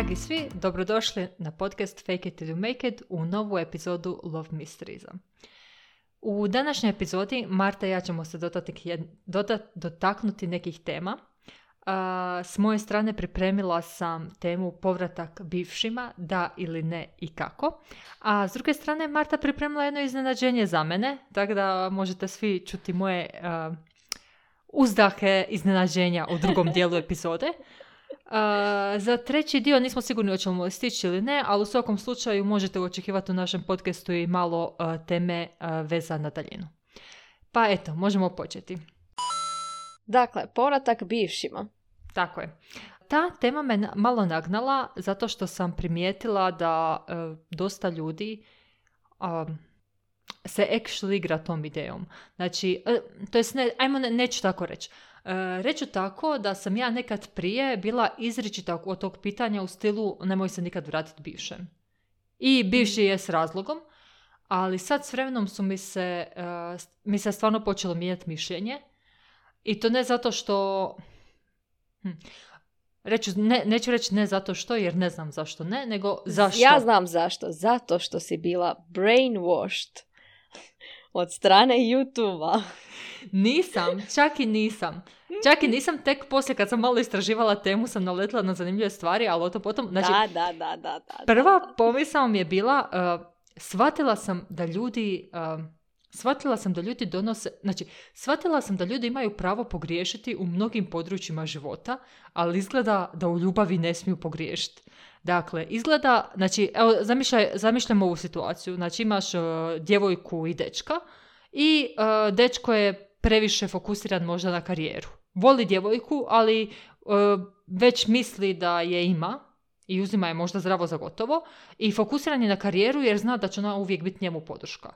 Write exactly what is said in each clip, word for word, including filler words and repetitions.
Dragi svi, dobrodošli na podcast Fake it till you make it u novu epizodu Love Mysteriesa. U današnjoj epizodi Marta i ja ćemo se dotati, dotat, dotaknuti nekih tema. Uh, s moje strane pripremila sam temu povratak bivšima, da ili ne i kako. A s druge strane Marta pripremila jedno iznenađenje za mene, tako da možete svi čuti moje uh, uzdahe iznenađenja u drugom dijelu epizode. Uh, za treći dio nismo sigurni hoćemo stići ili ne, ali u svakom slučaju možete očekivati u našem podcastu i malo uh, teme uh, veza na daljinu. Pa eto, možemo početi. Dakle, povratak bivšima. Tako je. Ta tema me malo nagnala zato što sam primijetila da uh, dosta ljudi um, se actually igra tom idejom. Znači, uh, to jest ne, ajmo ne, neću tako reći. Uh, reću tako da sam ja nekad prije bila izričita od tog pitanja u stilu nemoj se nikad vratiti bivšem. I bivši je s razlogom, ali sad s vremenom su mi se, uh, mi se stvarno počelo mijenjati mišljenje. I to ne zato što... Hm. Reću, ne, neću reći ne zato što, jer ne znam zašto ne, nego zašto. Ja znam zašto. Zato što si bila brainwashed od strane YouTube-a. Nisam, čak i nisam. Čak i nisam, tek poslije kad sam malo istraživala temu sam naletila na zanimljive stvari, ali o to potom... Znači, da, da, da, da, da. Prva pomisao mi je bila, uh, shvatila sam da ljudi... Uh, Shvatila sam da ljudi donose, znači, shvatila sam da ljudi imaju pravo pogriješiti u mnogim područjima života, ali izgleda da u ljubavi ne smiju pogriješiti. Dakle, izgleda, znači, evo, zamišljaj, zamišljam ovu situaciju. Znači, imaš uh, djevojku i dečka i uh, dečko je previše fokusiran možda na karijeru. Voli djevojku, ali uh, već misli da je ima i uzima je možda zdravo za gotovo i fokusiran je na karijeru jer zna da će ona uvijek biti njemu podrška.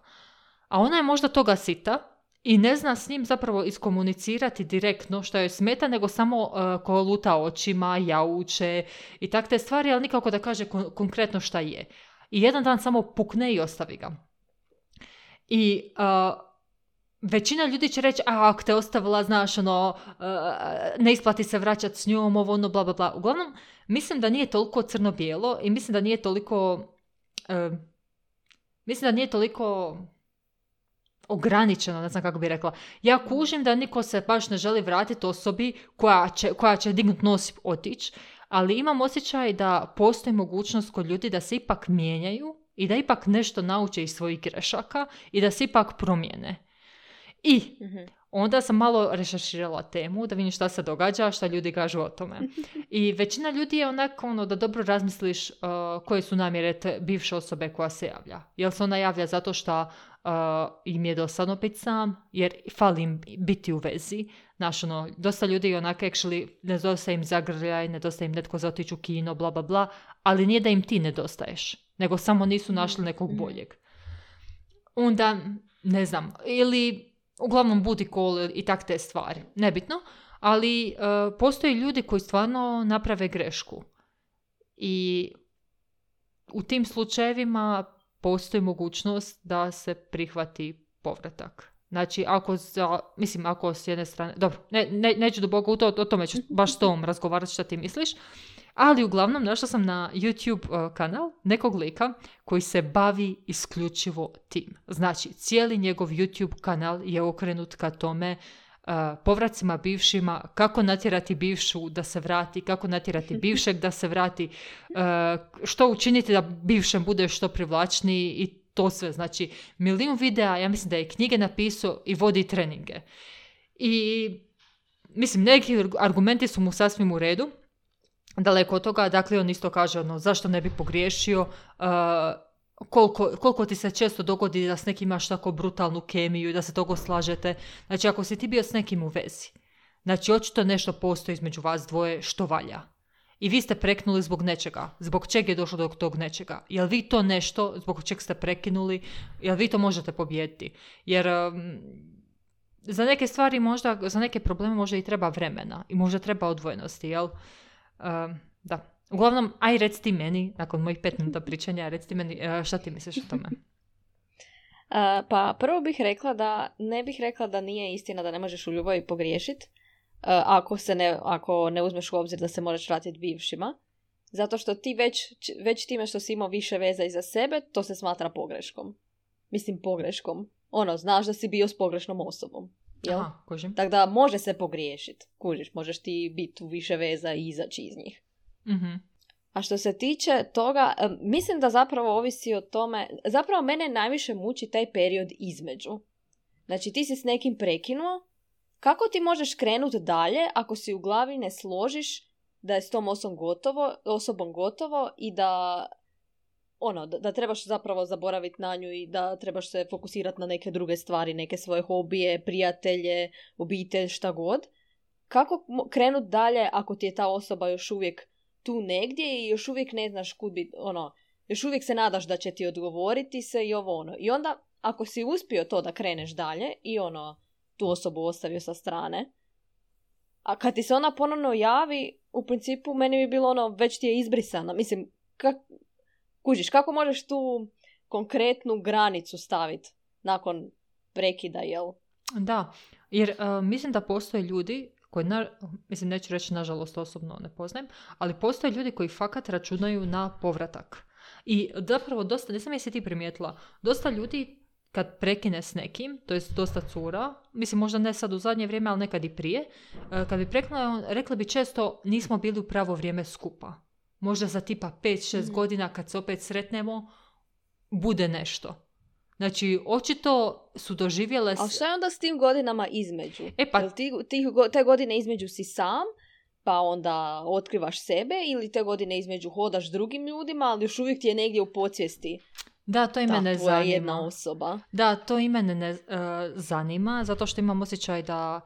A ona je možda toga sita i ne zna s njim zapravo iskomunicirati direktno što joj smeta, nego samo uh, koluta očima, jauče i tak te stvari, ali nikako da kaže kon- konkretno šta je. I jedan dan samo pukne i ostavi ga. I uh, većina ljudi će reći, a ako te ostavila, znaš, ono, uh, ne isplati se vraćati s njom, ovo, ono, bla, bla, bla. Uglavnom, mislim da nije toliko crno-bijelo i mislim da nije toliko... Uh, mislim da nije toliko... ograničeno, ne znam kako bi rekla. Ja kužim da niko se baš ne želi vratiti osobi koja će, koja će dignut nos i otići, ali imam osjećaj da postoji mogućnost kod ljudi da se ipak mijenjaju i da ipak nešto nauče iz svojih grešaka i da se ipak promijene. I onda sam malo rešerširala temu da vidim šta se događa, šta ljudi kažu o tome. I većina ljudi je onako ono da dobro razmisliš uh, koje su namjere te bivše osobe koja se javlja. Jel se ona javlja zato što uh, im je dosadno biti sam, jer fali im biti u vezi. Znaš, ono, dosta ljudi onako actually nedostaje im zagrljaj, nedostaje im netko za otići u kino, bla, bla, bla, ali nije da im ti nedostaješ, nego samo nisu našli nekog boljeg. Onda, ne znam, ili... Uglavnom booty call i tak te stvari. Nebitno. Ali uh, postoji ljudi koji stvarno naprave grešku. I u tim slučajevima postoji mogućnost da se prihvati povratak. Znači, ako za, mislim, ako s jedne strane... Dobro, ne, ne, neću duboko u to, o tome ću baš s tom razgovarati šta ti misliš. Ali uglavnom našla sam na YouTube uh, kanal nekog lika koji se bavi isključivo tim. Znači, cijeli njegov YouTube kanal je okrenut ka tome uh, povracima bivšima, kako natjerati bivšu da se vrati, kako natjerati bivšeg da se vrati, uh, što učiniti da bivšem bude što privlačniji i to sve. Znači, milijun videa, ja mislim da je knjige napisao i vodi treninge. I mislim, neki argumenti su mu sasvim u redu. Daleko od toga, dakle, on isto kaže ono, zašto ne bi pogriješio, uh, koliko, koliko ti se često dogodi da s nekim imaš tako brutalnu kemiju i da se togo slažete. Znači, ako si ti bio s nekim u vezi, znači, očito nešto postoji između vas dvoje što valja. I vi ste preknuli zbog nečega. Zbog čega je došlo do tog nečega? Jel vi to nešto zbog čeg ste prekinuli? Jel vi to možete pobijediti? Jer... Um, za neke stvari možda, za neke probleme možda i treba vremena i možda treba odvojenosti, jel? Uh, da. Uglavnom, aj reci ti meni, nakon mojih pet minuta pričanja, reci ti meni uh, šta ti misliš o tome? Uh, pa prvo bih rekla da, ne bih rekla da nije istina da ne možeš u ljubavi pogriješiti, uh, ako, se ne, ako ne uzmeš u obzir da se možeš vratiti bivšima. Zato što ti već, već time što si imao više veza iza sebe, to se smatra pogreškom. Mislim pogreškom. Ono, znaš da si bio s pogrešnom osobom. Jel? Aha, kužim. Tako da može se pogriješiti. Kužiš, možeš ti biti u više veza i izaći iz njih. Mhm. A što se tiče toga, mislim da zapravo ovisi o tome, zapravo mene najviše muči taj period između. Znači ti si s nekim prekinuo, kako ti možeš krenuti dalje ako si u glavi ne složiš da je s tom osobom gotovo, osobom gotovo i da, ono, da, da trebaš zapravo zaboraviti na nju i da trebaš se fokusirati na neke druge stvari, neke svoje hobije, prijatelje, obitelj, šta god. Kako krenuti dalje ako ti je ta osoba još uvijek tu negdje i još uvijek ne znaš kud bi, ono, još uvijek se nadaš da će ti odgovoriti se i ovo ono. I onda, ako si uspio to da kreneš dalje i ono, tu osobu ostavio sa strane, a kad ti se ona ponovno javi, u principu meni bi bilo ono, već ti je izbrisana. Mislim, kak, kužiš, kako možeš tu konkretnu granicu staviti nakon prekida, jel? Da, jer uh, mislim da postoje ljudi koji, na, mislim, neću reći nažalost osobno ne poznajem, ali postoje ljudi koji fakat računaju na povratak. I zapravo dosta, ne znam jesi ti primijetila, dosta ljudi kad prekine s nekim, to je dosta cura, mislim možda ne sad u zadnje vrijeme, ali nekad i prije, kad bi prekinula, rekli bi često nismo bili u pravo vrijeme skupa. Možda za tipa pet šest mm. godina kad se opet sretnemo, bude nešto. Znači, očito su doživjele... A šta je onda s tim godinama između? E pa... Jel ti, ti, te godine između si sam, pa onda otkrivaš sebe, ili te godine između hodaš drugim ljudima, ali još uvijek ti je negdje u podsvijesti da, to i ta mene tvoja zanima. jedna osoba. Da, to i mene ne, uh, zanima, zato što imam osjećaj da,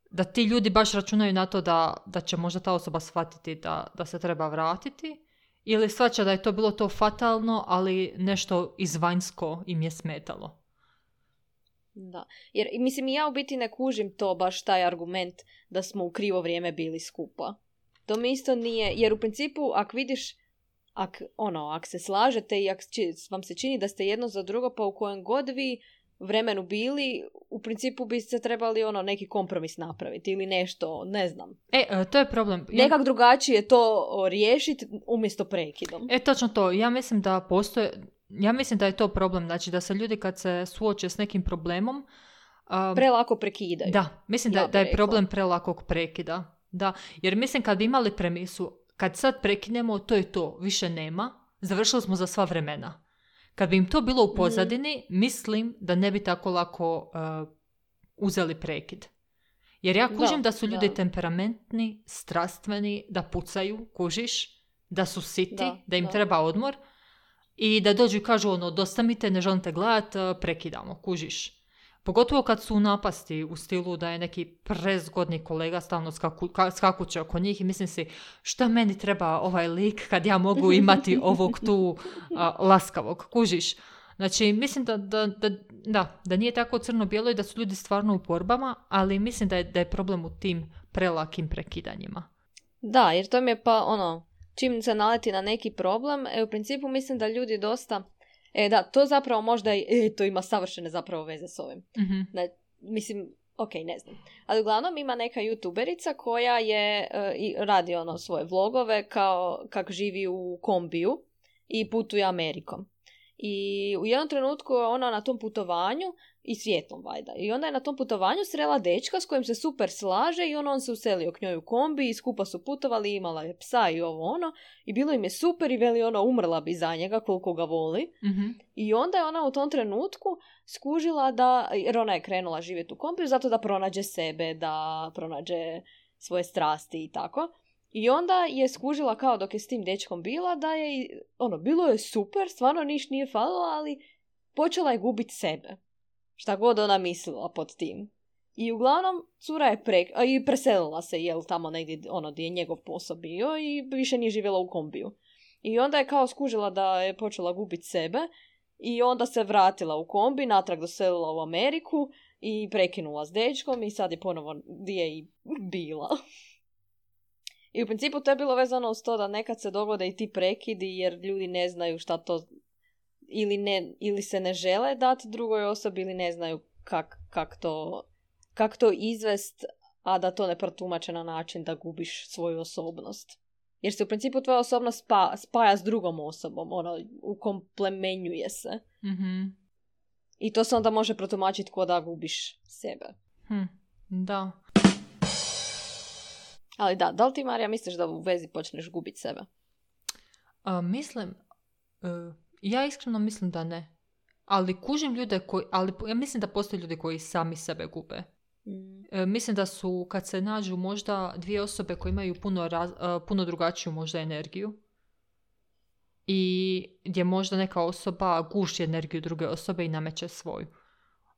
da ti ljudi baš računaju na to da, da će možda ta osoba shvatiti da, da se treba vratiti. Ili shvaća da je to bilo to fatalno, ali nešto izvanjsko im je smetalo. Da, jer mislim ja u biti ne kužim to baš taj argument da smo u krivo vrijeme bili skupa. To mi isto nije, jer u principu ako vidiš, ak, ono, ak se slažete i ako vam se čini da ste jedno za drugo, pa u kojem god vi vremenu bili, u principu biste trebali ono neki kompromis napraviti ili nešto, ne znam. E, to je problem. Nekak drugačije to riješiti umjesto prekidom. E, točno to. Ja mislim da postoje, ja mislim da je to problem, znači da se ljudi kad se suoče s nekim problemom um, prelako prekidaju. Da, mislim ja da, da je problem prelakog prekida. Da, jer mislim kad bi imali premisu, kad sad prekinemo, to je to, više nema, završili smo za sva vremena. Kad bi im to bilo u pozadini, mm. mislim da ne bi tako lako uh, uzeli prekid. Jer ja kužim da, da su ljudi da. temperamentni, strastveni, da pucaju, kužiš, da su siti, da, da im da. treba odmor i da dođu i kažu ono, dosta mi te, ne želim te gledat, prekidamo, kužiš. Pogotovo kad su u napasti u stilu da je neki prezgodni kolega stalno skaku, ka, skakuće oko njih i mislim si šta meni treba ovaj lik kad ja mogu imati ovog tu a, laskavog, kužiš. Znači mislim da, da, da, da, da nije tako crno-bijelo i da su ljudi stvarno u borbama, ali mislim da je, da je problem u tim prelakim prekidanjima. Da, jer to mi je pa ono, čim se naleti na neki problem, e, u principu mislim da ljudi dosta... E da, to zapravo možda i, e, to ima savršene zapravo veze s ovim. Mm-hmm. Da, mislim, ok, ne znam. Ali uglavnom ima neka youtuberica koja je uh, i radi ono svoje vlogove kao kak živi u kombiju i putuje Amerikom. I u jednom trenutku je ona na tom putovanju i svijetlom vajda. I onda je na tom putovanju srela dečka s kojim se super slaže i on, on se uselio k njoj u kombi i skupa su putovali, imala je psa i ovo ono. I bilo im je super i veli ona umrla bi za njega koliko ga voli. Mm-hmm. I onda je ona u tom trenutku skužila da, jer ona je krenula živjeti u kombiju zato da pronađe sebe, da pronađe svoje strasti i tako. I onda je skužila kao dok je s tim dečkom bila da je, ono, bilo je super, stvarno niš nije falilo, ali počela je gubiti sebe. Šta god ona mislila pod tim. I uglavnom cura je pre, a i preselila se, jel, tamo negdje, ono, gdje je njegov posao bio i više nije živjela u kombiju. I onda je kao skužila da je počela gubiti sebe i onda se vratila u kombi, natrag doselila u Ameriku i prekinula s dečkom i sad je ponovo gdje je i bila. I u principu to je bilo vezano uz to da nekad se dogode i ti prekidi jer ljudi ne znaju šta to ili, ne, ili se ne žele dati drugoj osobi ili ne znaju kak, kak, to, kak to izvest, a da to ne protumače na način da gubiš svoju osobnost. Jer se u principu tvoja osobnost spa, spaja s drugom osobom, ono, ukomplemenjuje se. Mm-hmm. I to se onda može protumačiti ko da gubiš sebe. Hm, da. Ali da, da li ti, Marija, misliš da u vezi počneš gubiti sebe? A, mislim, uh, ja iskreno mislim da ne. Ali kužim ljude koji, ali ja mislim da postoje ljudi koji sami sebe gube. Mm. E, mislim da su, kad se nađu možda dvije osobe koje imaju puno, raz, uh, puno drugačiju možda energiju i gdje možda neka osoba guši energiju druge osobe i nameće svoju.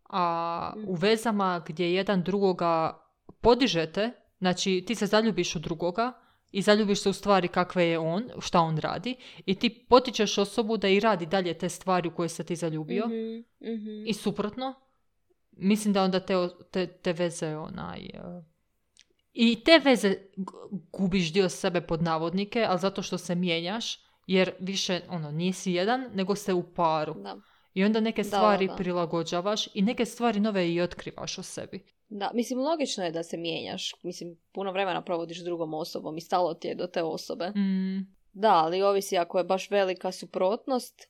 A mm. u vezama gdje jedan drugoga podižete, znači ti se zaljubiš u drugoga i zaljubiš se u stvari kakve je on, šta on radi i ti potičeš osobu da i radi dalje te stvari u koje se ti zaljubio mm-hmm, mm-hmm. i suprotno. Mislim da onda te, te, te veze onaj... Uh, i te veze gubiš dio sebe pod navodnike, ali zato što se mijenjaš, jer više ono, nisi jedan, nego ste u paru. Da. I onda neke stvari da, da. prilagođavaš i neke stvari nove i otkrivaš o sebi. Da, mislim, logično je da se mijenjaš. Mislim, puno vremena provodiš s drugom osobom i stalo ti je do te osobe. Mm. Da, ali ovisi ako je baš velika suprotnost,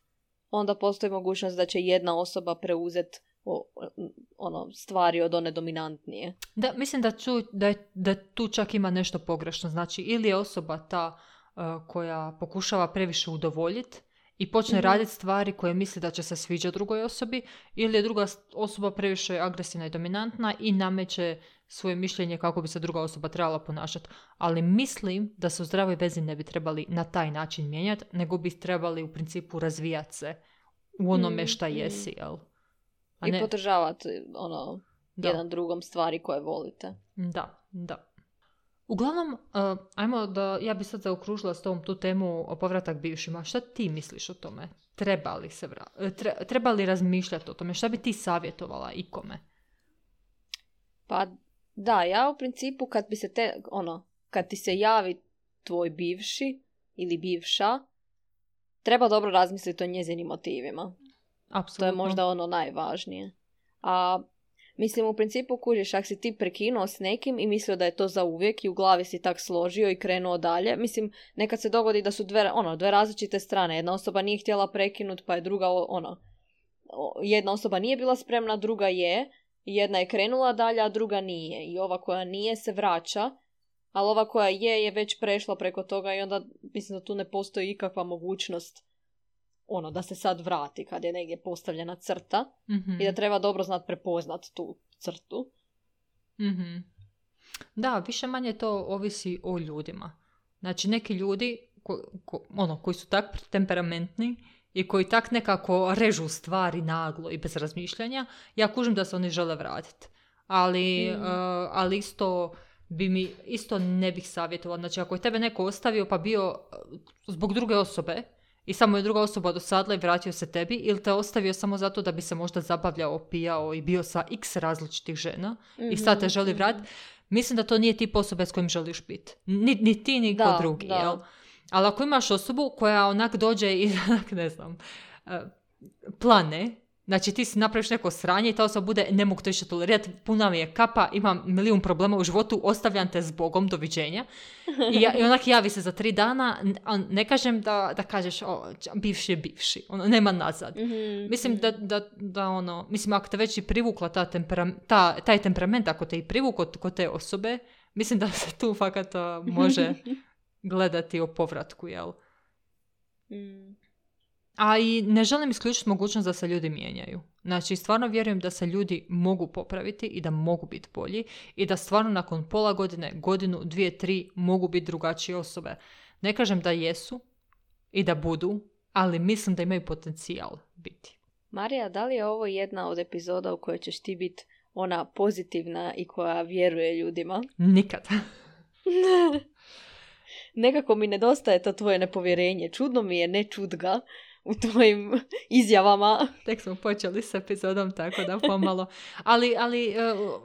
onda postoji mogućnost da će jedna osoba preuzeti o, ono, stvari od one dominantnije. Da, mislim da, ču, da, je, da tu čak ima nešto pogrešno. Znači, ili je osoba ta uh, koja pokušava previše udovoljiti i počne mm-hmm. raditi stvari koje misli da će se sviđati drugoj osobi, ili je druga osoba previše agresivna i dominantna i nameće svoje mišljenje kako bi se druga osoba trebala ponašati. Ali mislim da se u zdravoj vezi ne bi trebali na taj način mijenjati, nego bi trebali u principu razvijati se u onome šta jesi, jel? A I ne... podržavati ono, jedan drugom stvari koje volite. Da, da. Uglavnom, uh, ajmo da, ja bi sad zaokružila s tom tu temu o povratak bivšima. Šta ti misliš o tome? Treba li se vra... Tre, treba li razmišljati o tome? Šta bi ti savjetovala ikome? Pa da, ja u principu kad bi se te, ono, kad ti se javi tvoj bivši ili bivša, treba dobro razmisliti o njezinim motivima. Apsolutno. To je možda ono najvažnije. A mislim, u principu kužiš, ako si ti prekinuo s nekim i mislio da je to za uvijek i u glavi si tak složio i krenuo dalje, mislim, nekad se dogodi da su dve, ono, dve različite strane. Jedna osoba nije htjela prekinuti, pa je druga, ono, jedna osoba nije bila spremna, druga je, jedna je krenula dalje, a druga nije. I ova koja nije se vraća, ali ova koja je, je već prešla preko toga i onda mislim da tu ne postoji ikakva mogućnost ono, da se sad vrati kad je negdje postavljena crta mm-hmm. i da treba dobro znat prepoznat tu crtu. Mm-hmm. Da, više manje to ovisi o ljudima. Znači, neki ljudi ko, ko, ono, koji su tak temperamentni i koji tak nekako režu stvari naglo i bez razmišljanja, ja kužim da se oni žele vratiti. Ali, mm. uh, ali isto bi mi, isto ne bih savjetovala. Znači, ako je tebe neko ostavio pa bio zbog druge osobe, i samo je druga osoba dosadla i vratio se tebi, ili te ostavio samo zato da bi se možda zabavljao, pijao i bio sa x različitih žena mm-hmm, i sad te želi vratiti, mislim da to nije tip osobe s kojim želiš biti. Ni, ni ti, ni ko drugi, da. Jel? Ali ako imaš osobu koja onak dođe i, ne znam, plane, znači ti si napraviš neko sranje i ta osoba bude, ne mogu to više tolerirati, puna mi je kapa, imam milijun problema u životu, ostavljam te s Bogom, doviđenja. I, ja, i onak javi se za tri dana, a ne kažem da, da kažeš, o, bivši je bivši, ono, nema nazad. Mm-hmm. Mislim da, da, da ono, mislim ako te već i privukla ta tempera, ta, taj temperament, ako te i privukao kod te osobe, mislim da se tu fakat može gledati o povratku, jel? Mm. A i ne želim isključiti mogućnost da se ljudi mijenjaju. Znači, stvarno vjerujem da se ljudi mogu popraviti i da mogu biti bolji i da stvarno nakon pola godine, godinu, dvije, tri mogu biti drugačije osobe. Ne kažem da jesu i da budu, ali mislim da imaju potencijal biti. Marija, da li je ovo jedna od epizoda u kojoj ćeš ti biti ona pozitivna i koja vjeruje ljudima? Nikad. Nekako mi nedostaje to tvoje nepovjerenje. Čudno mi je ne čut ga u tvojim izjavama. Tek smo počeli s epizodom, tako da pomalo. Ali, ali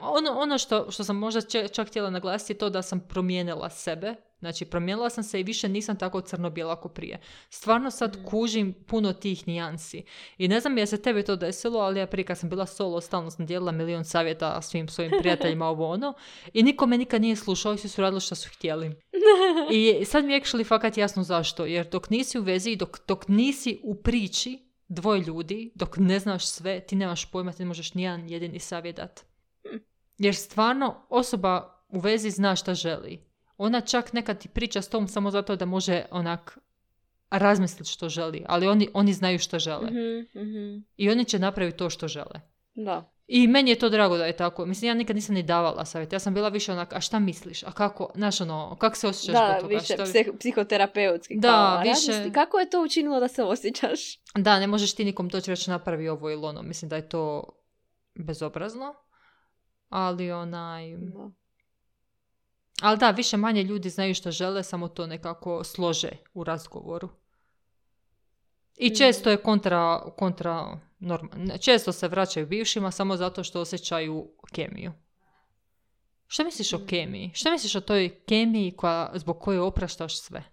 ono, ono što, što sam možda čak htjela naglasiti je to da sam promijenila sebe Znači, promijenila sam se i više nisam tako crno-bijela ako prije. Stvarno sad kužim puno tih nijansi. I ne znam je se tebi to desilo, ali ja prije kad sam bila solo, stalno sam dijelila milion savjeta svim svojim prijateljima ovo ono. I niko me nikad nije slušao i svi su radili što su htjeli. I sad mi je actually fakat jasno zašto. Jer dok nisi u vezi, dok, dok nisi u priči dvoje ljudi, dok ne znaš sve, ti nemaš pojma, ti ne možeš nijedan jedini savjet dati. Jer stvarno osoba u vezi zna šta želi. Ona čak nekad ti priča s tom samo zato da može onak razmisliti što želi. Ali oni, oni znaju što žele. Mm-hmm, mm-hmm. I oni će napraviti to što žele. Da. I meni je to drago da je tako. Mislim, ja nikad nisam ni davala savjet. Ja sam bila više onak, a šta misliš? A kako, znaš ono, kako se osjećaš da, zbog toga? više Što... psih- psihoterapeutski. Da, kao, više... razmisli, kako je to učinilo da se osjećaš? Da, ne možeš ti nikom doći reći napravi ovo ili ono. Mislim da je to bezobrazno. Ali onaj... Da. Ali da, više manje ljudi znaju što žele, samo to nekako slože u razgovoru. I često je kontra, kontra norma, često se vraćaju bivšima samo zato što osjećaju kemiju. Što misliš o kemiji? Što misliš o toj kemiji koja, zbog koje opraštaš sve?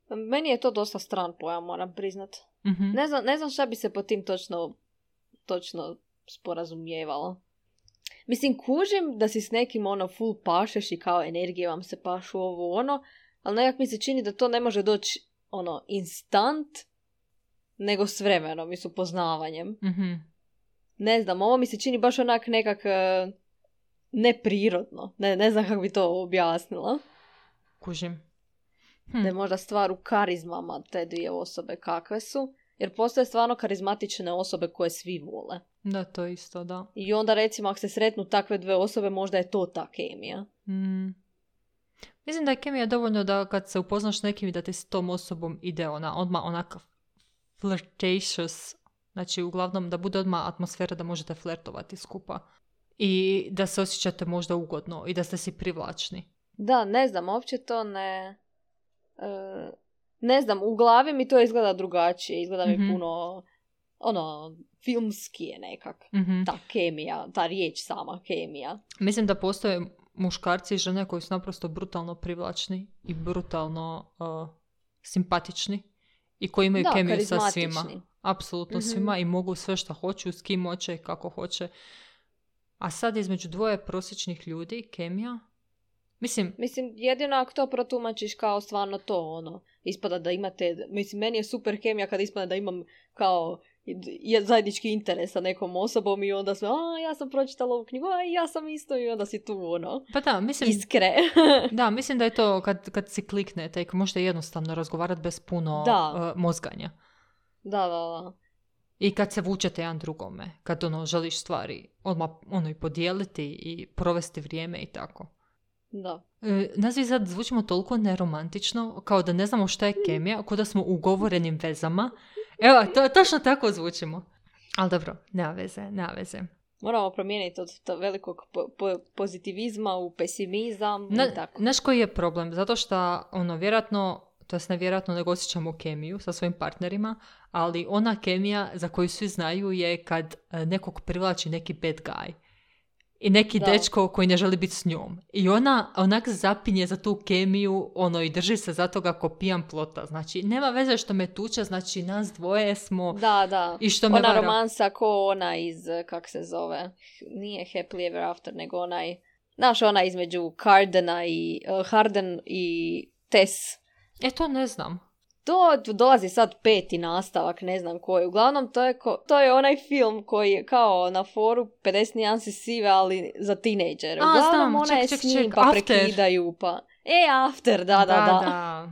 Meni je to dosta stran pojam, moram priznat. Mm-hmm. Ne znam, ne znam šta bi se po tim točno, točno sporazumijevalo. Mislim, kužim da si s nekim ono full pašeš i kao energije vam se pašu ovo ono, ali nekak mi se čini da to ne može doći ono instant, nego s vremenom i s upoznavanjem. Mm-hmm. Ne znam, ovo mi se čini baš onak nekak uh, neprirodno. Ne, ne znam kako bi to objasnila. Kužim. Hm. Da je možda stvar u karizmama te dvije osobe kakve su. Jer postoje stvarno karizmatične osobe koje svi vole. Da, to isto, da. I onda recimo ako se sretnu takve dve osobe, možda je to ta kemija. Mm. Mislim da je kemija dovoljno da kad se upoznaš s nekim i da ti s tom osobom ide ona, odmah onaka flirtatious. Znači uglavnom da bude odmah atmosfera da možete flertovati skupa. I da se osjećate možda ugodno i da ste si privlačni. Da, ne znam, uopće to ne... Uh, ne znam, u glavi mi to izgleda drugačije. Izgleda mi mm-hmm. puno... ono, filmski je nekak. Mm-hmm. Ta kemija, ta riječ sama, kemija. Mislim da postoje muškarci i žene koji su naprosto brutalno privlačni i brutalno uh, simpatični i koji imaju da, kemiju sa svima. Apsolutno mm-hmm. svima i mogu sve što hoću, s kim hoće i kako hoće. A sad između dvoje prosječnih ljudi, kemija, mislim... Mislim, jedino ako to protumačiš kao stvarno to, ono, ispada da imate, mislim, meni je super kemija kad ispada da imam kao zajednički interes sa nekom osobom i onda sve, a ja sam pročitala ovu knjigu, a ja sam isto i onda si tu, ono, pa da, mislim, iskre. Da, mislim da je to kad, kad si kliknete i možete jednostavno razgovarati bez puno uh, mozganja. Da, da, da. I kad se vučete jedan drugome, kad ono, želiš stvari odmah ono, i podijeliti i provesti vrijeme i tako. Da. E, nas vi sad zvučimo toliko neromantično, kao da ne znamo šta je kemija, kao da smo u ugovorenim vezama. Evo, to, točno tako zvučimo. Ali dobro, nema veze, nema veze. Moramo promijeniti od to velikog po- po- pozitivizma u pesimizam. Na, i tako. Znaš koji je problem? Zato što, ono, vjerojatno, to jest nevjerojatno nego osjećamo kemiju sa svojim partnerima, ali ona kemija za koju svi znaju je kad nekog privlači neki bad guy. I neki da. dečko koji ne želi biti s njom. I ona onak zapinje za tu kemiju, ono, i drži se za toga ko pijan plota. Znači, nema veze što me tuče, znači, nas dvoje smo... Da, da. I što me ona vara. romansa ko ona iz, kak se zove, nije Happily Ever After, nego onaj, znaš, ona između Hardena i, uh, Harden i Tess. E, to ne znam. To dolazi sad peti nastavak, ne znam koji. Uglavnom, to je, ko, to je onaj film koji je kao na foru pedeset nijansi sive, ali za tinejdžere. Uglavnom, znam, ona ček, je ček, s njim, ček, pa after. prekidaju, pa... E, After, da, da, da. Da, da.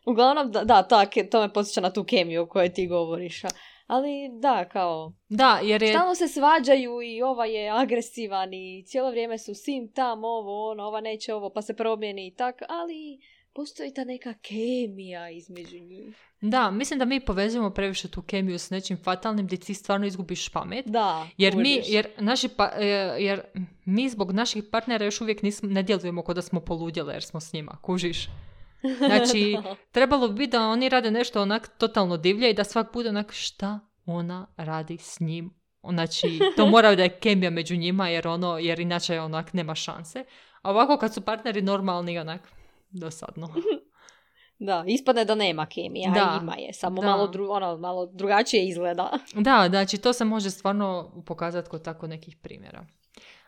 Uglavnom, da, da ta, to me podsjeća na tu kemiju o kojoj ti govoriš. Ali, da, kao... Da, jer je... Stalno se svađaju i ova je agresivan i cijelo vrijeme su sim tam, ovo, ono, ova neće ovo, pa se promijeni i tak, ali... Postoji ta neka kemija između njih. Da, mislim da mi povezujemo previše tu kemiju s nečim fatalnim gdje ti stvarno izgubiš pamet. Da, jer mi, jer, naši pa, jer mi zbog naših partnera još uvijek nismo, ne djelujemo kao da smo poludjele jer smo s njima, kužiš. Znači, trebalo bi biti da oni rade nešto onak totalno divlje i da svak bude onak šta ona radi s njim. Znači, to mora da je kemija među njima jer ono, jer inače onak nema šanse. A ovako kad su partneri normalni, onak, dosadno. Da, ispadne da nema kemija, Da, ima je, samo da. malo, dru, ono, malo drugačije izgleda. Da, znači to se može stvarno pokazati kod tako nekih primjera.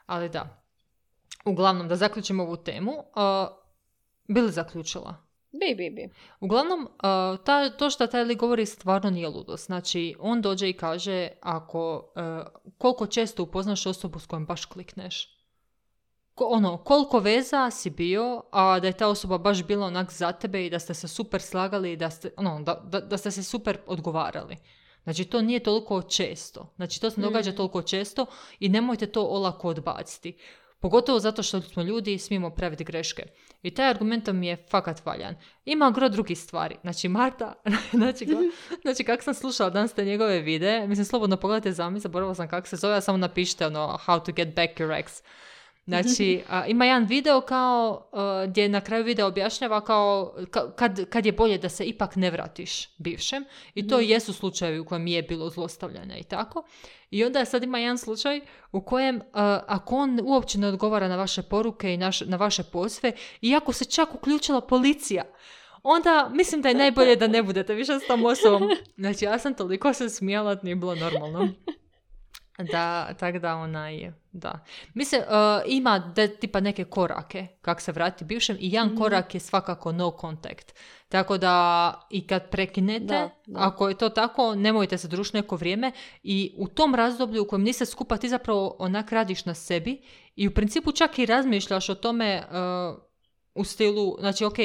Ali da, uglavnom, da zaključimo ovu temu, uh, bi li zaključila? Bi, bi, bi. Uglavnom, uh, ta, to što taj lik govori stvarno nije ludost. Znači, on dođe i kaže ako, uh, koliko često upoznaš osobu s kojom baš klikneš. Ko, ono, koliko veza si bio, a da je ta osoba baš bila onak za tebe i da ste se super slagali i da ste, ono, da, da, da ste se super odgovarali. Znači, to nije toliko često. Znači, to se ne događa Mm. toliko često i nemojte to olako odbaciti. Pogotovo zato što smo ljudi i smijemo praviti greške. I taj argument mi je fakat valjan. Ima gro drugih stvari. Znači, Marta, znači, ga- znači kako sam slušala danas te njegove videe, mislim, slobodno pogledajte zami, zaboravila sam kako se zove, a samo napišite ono, how to get back your ex. Znači, a, ima jedan video kao, a, gdje na kraju videa objašnjava kao ka- kad, kad je bolje da se ipak ne vratiš bivšem. I to Mhm. jesu slučajevi u kojem je bilo zlostavljanja i tako. I onda sad ima jedan slučaj u kojem a, ako on uopće ne odgovara na vaše poruke i naš, na vaše pozve, iako se čak uključila policija, onda mislim da je najbolje da ne budete više s tom osobom. Znači, ja sam toliko se smijala, da nije bilo normalno. Da, tak da onaj, da. Mislim, uh, ima de, tipa neke korake kako se vrati bivšem i jedan Mhm. korak je svakako no contact. Tako da i kad prekinete, Da, da. ako je to tako, nemojte se družiti neko vrijeme i u tom razdoblju u kojem niste skupa ti zapravo onak radiš na sebi i u principu čak i razmišljaš o tome uh, u stilu, znači ok,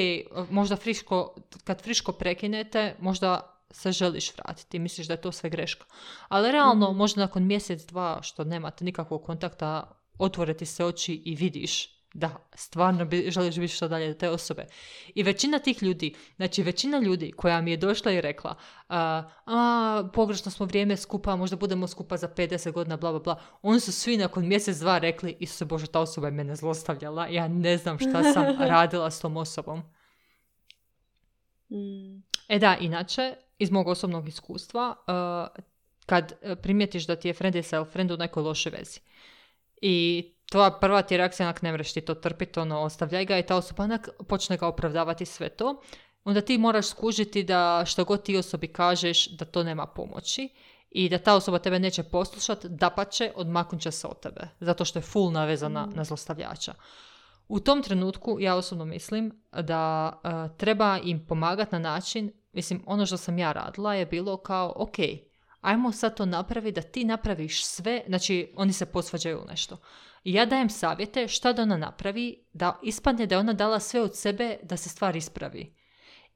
možda friško, kad friško prekinete, možda se želiš vratiti, misliš da je to sve greška. Ali realno, Mhm. možda nakon mjesec, dva, što nemate nikakvog kontakta, otvore ti se oči i vidiš da stvarno bi, želiš biti što dalje od te osobe. I većina tih ljudi, znači većina ljudi koja mi je došla i rekla a, a pogrešno smo vrijeme skupa, možda budemo skupa za pedeset godina, bla, bla, bla. Oni su svi nakon mjesec, dva rekli, Isuse Bože, ta osoba je mene zlostavljala, ja ne znam šta sam radila s tom osobom. Mm. E da, inače, iz mog osobnog iskustva, uh, kad uh, primijetiš da ti je friend is friend u nekoj lošoj vezi i tvoja prva ti je reakcija, onak ne mreš ti to trpiti, ono, ostavljaj ga i ta osoba onak počne ga opravdavati sve to, onda ti moraš skužiti da što god ti osobi kažeš da to nema pomoći i da ta osoba tebe neće poslušati, dapače, odmaknut će se od tebe, zato što je full navezana Mm. na zlostavljača. U tom trenutku ja osobno mislim da uh, treba im pomagati na način, mislim, ono što sam ja radila je bilo kao, ok, ajmo sad to napraviti da ti napraviš sve, znači oni se posvađaju u nešto. I ja dajem savjete šta da ona napravi, da ispadne da je ona dala sve od sebe da se stvar ispravi.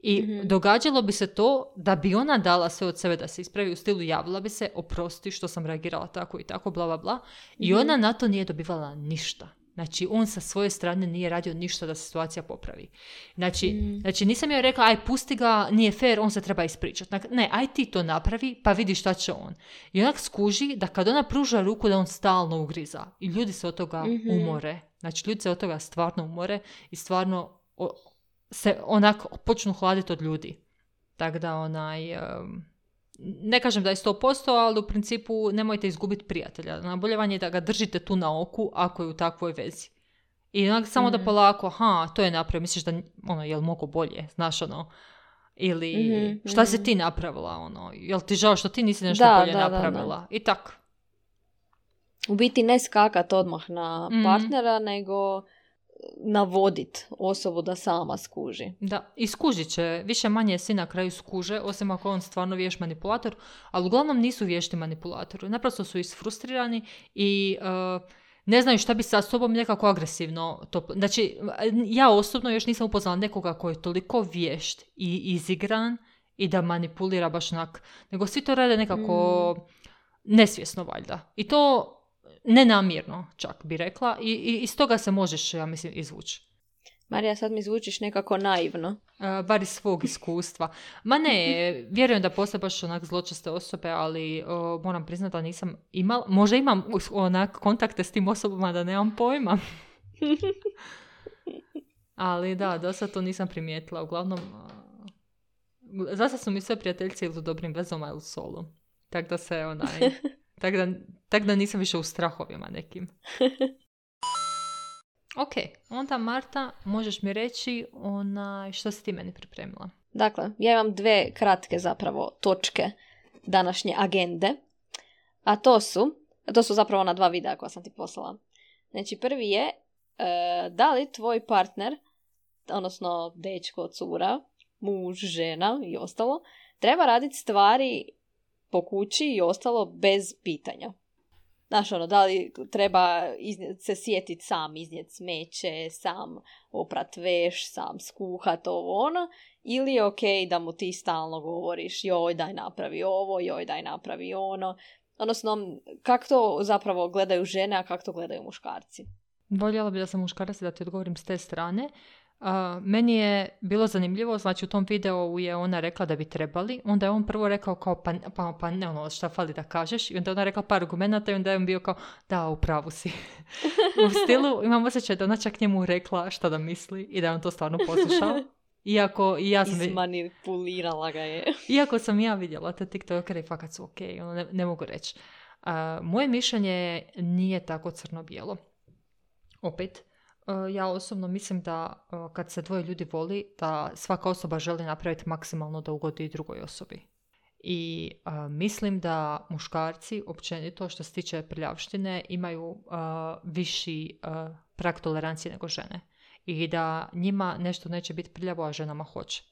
I Mhm. događalo bi se to da bi ona dala sve od sebe da se ispravi, u stilu javila bi se, oprosti što sam reagirala tako i tako, bla, bla, bla. I Mhm. ona na to nije dobivala ništa. Znači, on sa svoje strane nije radio ništa da se situacija popravi. Znači, Mm. znači nisam joj rekla, aj, pusti ga, nije fair, on se treba ispričati. Ne, aj ti to napravi, pa vidi šta će on. I onak skuži da kad ona pruža ruku, da on stalno ugriza. I ljudi se od toga Mhm. umore. Znači, ljudi se od toga stvarno umore i stvarno o, se onak počnu hladiti od ljudi. Tako da onaj... Um, ne kažem da je sto posto, ali u principu nemojte izgubiti prijatelja. Najbolje vam je da ga držite tu na oku ako je u takvoj vezi. I onak samo da Mhm. polako, ha, to je napravio, misliš da, ono, jel mogu bolje, znaš, ono, ili Mhm, šta si mhm. ti napravila, ono, jel ti žao što ti nisi nešto Da, bolje da, da, da. napravila, i tak. U biti ne skakat odmah na Mhm. partnera, nego navodit osobu da sama skuži. Da, i skužit će, više manje svi na kraju skuže, osim ako on stvarno vješt manipulator, ali uglavnom nisu vješti manipulatori, naprosto su isfrustrirani i uh, ne znaju šta bi sa sobom nekako agresivno to... Znači, ja osobno još nisam upoznala nekoga koji je toliko vješt i izigran i da manipulira baš onak, nego svi to rade nekako nesvjesno valjda. I to nenamjerno, čak bi rekla, i, i iz toga se možeš, ja mislim, izvući. Marija, sad mi zvučiš nekako naivno. Uh, bar iz svog iskustva. Ma ne, vjerujem da postoje baš onak zločeste osobe, ali uh, moram priznati da nisam imala, možda imam us- onak kontakte s tim osobama da nemam pojma. Ali da, do sad to nisam primijetila. Uglavnom, uh, zasa su mi sve prijateljci ili u dobrim vezama ili solo. Tako da se onaj... Tako da, tak da nisam više u strahovima nekim. Ok, onda Marta, možeš mi reći onaj, što si ti meni pripremila? Dakle, ja imam dve kratke zapravo točke današnje agende, a to su, to su zapravo ona dva videa koja sam ti poslala. Znači, prvi je, e, da li tvoj partner, odnosno dečko, cura, muž, žena i ostalo, treba raditi stvari po kući i ostalo bez pitanja. Znaš, ono, da li treba iznijet, se sjetiti sam iznijeti smeće, sam oprat veš, sam skuhat ovo ono, ili je ok da mu ti stalno govoriš joj daj napravi ovo, joj daj napravi ono. Odnosno, kako to zapravo gledaju žene, a kako to gledaju muškarci? Voljela bi da sam muškarac da ti odgovorim s te strane. Uh, meni je bilo zanimljivo, znači u tom videu je ona rekla da bi trebali, onda je on prvo rekao kao pa, pa, pa ne ono šta fali da kažeš i onda je ona rekla par argumenata i onda je on bio kao da u pravu si. U stilu imam osjećaj da ona čak njemu rekla šta da misli i da je on to stvarno poslušao. Iako i ja sam izmanipulirala ga je. Iako sam ja vidjela te tiktokere i fakat su ok, ono ne, ne mogu reći. Uh, moje mišljenje nije tako crno-bijelo. Opet, ja osobno mislim da kad se dvoje ljudi voli, da svaka osoba želi napraviti maksimalno da ugodi drugoj osobi. I a, mislim da muškarci, općenito što se tiče prljavštine, imaju a, viši a, prag tolerancije nego žene. I da njima nešto neće biti prljavo, a ženama hoće.